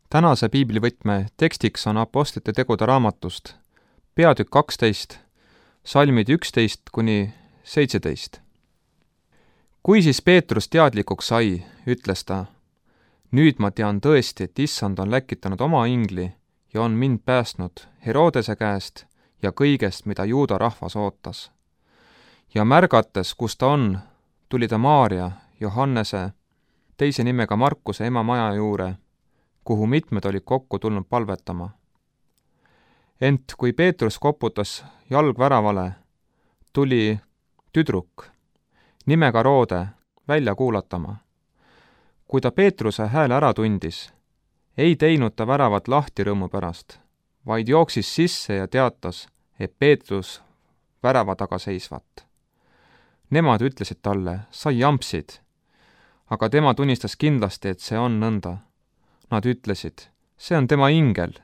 Tänase piiblivõtme tekstiks on Apostlite tegude raamatust peatükk 12, salmid 11–17. Kui siis Peetrus teadlikuks sai, ütles ta, nüüd ma tean tõesti, et Issand on läkitanud oma ingli ja on mind päästnud Herodese käest ja kõigest, mida juuda rahvas ootas. Ja märgates, kus ta on, tuli ta Maaria, Johannese, teise nimega Markuse ema maja juure, kuhu mitmed olid kokku tulnud palvetama. Ent kui Peetrus koputas jalgväravale, tuli tüdruk nimega Roode välja kuulatama. Kui ta Peetruse hääle ära tundis, ei teinud ta väravat lahti rõõmu pärast, vaid jooksis sisse ja teatas, et Peetrus värava taga seisvat. Nemad ütlesid talle, sa jampsid, aga tema tunnistas kindlasti, et see on nõnda. Nad ütlesid, see on tema ingel.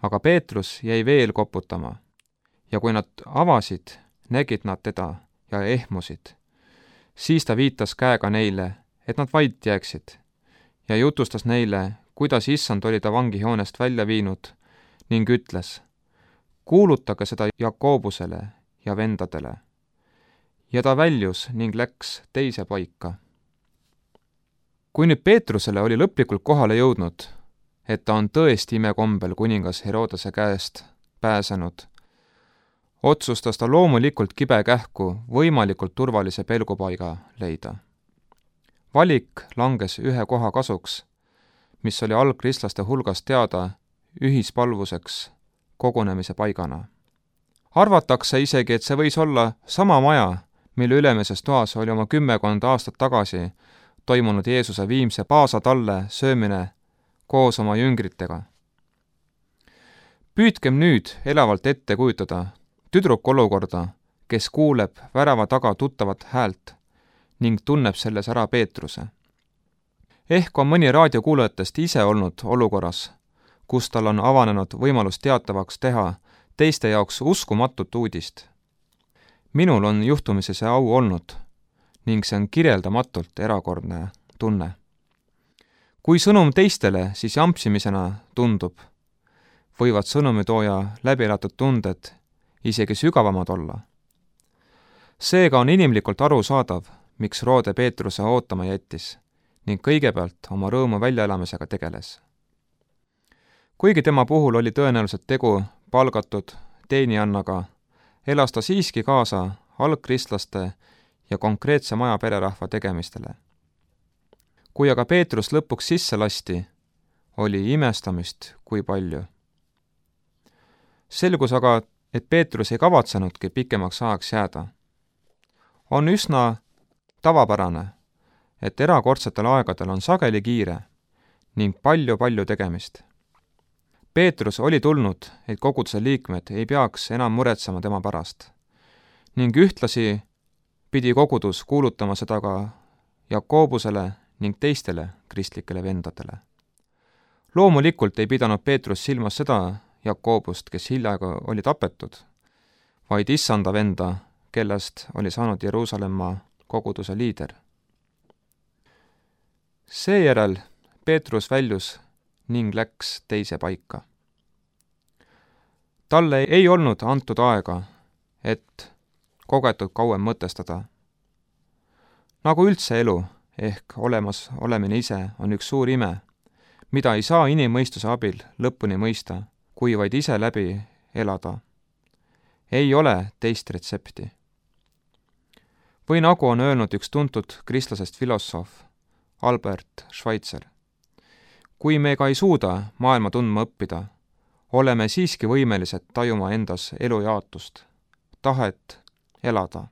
Aga Peetrus jäi veel koputama ja kui nad avasid, nägid nad teda ja ehmusid. Siis ta viitas käega neile, et nad vait jääksid ja jutustas neile, kuidas Issand oli ta vangihoonest välja viinud ning ütles, kuulutage seda Jakobusele ja vendadele. Ja ta väljus ning läks teise paika. Kui nüüd Peetrusele oli lõplikult kohale jõudnud, et ta on tõesti imekombel kuningas Herodese käest pääsenud, otsustas ta loomulikult kibekähku võimalikult turvalise pelgupaiga leida. Valik langes ühe koha kasuks, mis oli algkristlaste hulgas teada ühispalvuseks kogunemise paigana. Arvatakse isegi, et see võis olla sama maja, mille ülemises toas oli oma 10 aastat tagasi toimunud Jeesuse viimse paasatalle söömine koos oma jüngritega. Püüdkem nüüd elavalt ette kujutada tüdruku olukorda, kes kuuleb värava taga tuttavat häält ning tunneb selles ära Peetruse. Ehk on mõni raadiokuulajatest ise olnud olukorras, kus tal on avanenud võimalus teatavaks teha teiste jaoks uskumatut uudist. Minul on juhtumisi see au olnud ning see on kirjeldamatult erakordne tunne. Kui sõnum teistele siis jampsimisena tundub, võivad sõnumitooja läbielatud tunded isegi sügavamad olla. Seega on inimlikult arusaadav, miks Roode Peetruse ootama jättis ning kõigepealt oma rõõmu väljaelamisega tegeles. Kuigi tema puhul oli tõenäoliselt tegu palgatud teenijannaga, elas ta siiski kaasa algkristlaste ja konkreetse maja pererahva tegemistele. Kui aga Peetrus lõpuks sisse lasti, oli imestamist kui palju. Selgus aga, et Peetrus ei kavatsenudki pikemaks ajaks jääda. On üsna tavapärane, et erakordsetel aegadel on sageli kiire ning palju tegemist. Peetrus oli tulnud, et koguduse liikmed ei peaks enam muretsema tema pärast ning ühtlasi pidi kogudus kuulutama seda ka Jakobusele ning teistele kristlikele vendadele. Loomulikult ei pidanud Peetrus silmas seda Jakobust, kes hiljaga oli tapetud, vaid Issanda venda, kellest oli saanud Jeruusalemma koguduse liider. Seejärel Peetrus väljus ning läks teise paika. Talle ei olnud antud aega, et kogetud kauem mõtestada. Nagu üldse elu ehk olemas olemine ise on üks suur ime, mida ei saa inimmõistuse abil lõpuni mõista, kui vaid ise läbi elada. Ei ole teist retsepti. Või nagu on öelnud üks tuntud kristlasest filosoof Albert Schweitzer, kui me ka ei suuda maailma tundma õppida, oleme siiski võimelised tajuma endas elujaatust, tahet elada.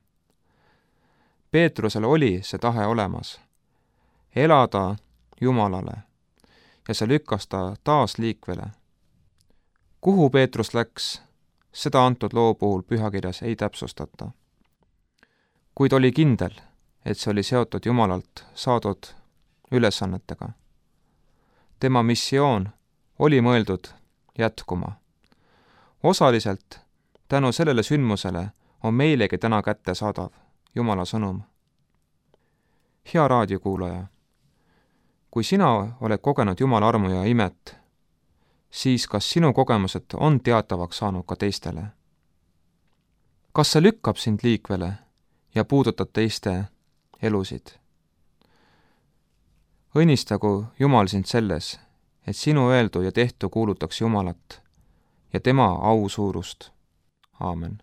Peetrusel oli see tahe olemas, elada Jumalale, ja see lükkas ta taas liikvele. Kuhu Peetrus läks, seda antud loo puhul pühakirjas ei täpsustata. Kuid oli kindel, et see oli seotud Jumalalt saadud ülesannetega. Tema missioon oli mõeldud jätkuma. Osaliselt tänu sellele sündmusele on meilegi täna kättesaadav Jumala sõnum. Hea raadiokuulaja, kui sina oled kogenud Jumala armu ja imet, siis kas sinu kogemused on teatavaks saanud ka teistele? Kas see lükkab sind liikvele ja puudutab teiste elusid? Õnnistagu Jumal sind selles, et sinu öeldu ja tehtu kuulutaks Jumalat ja tema au suurust. Aamen.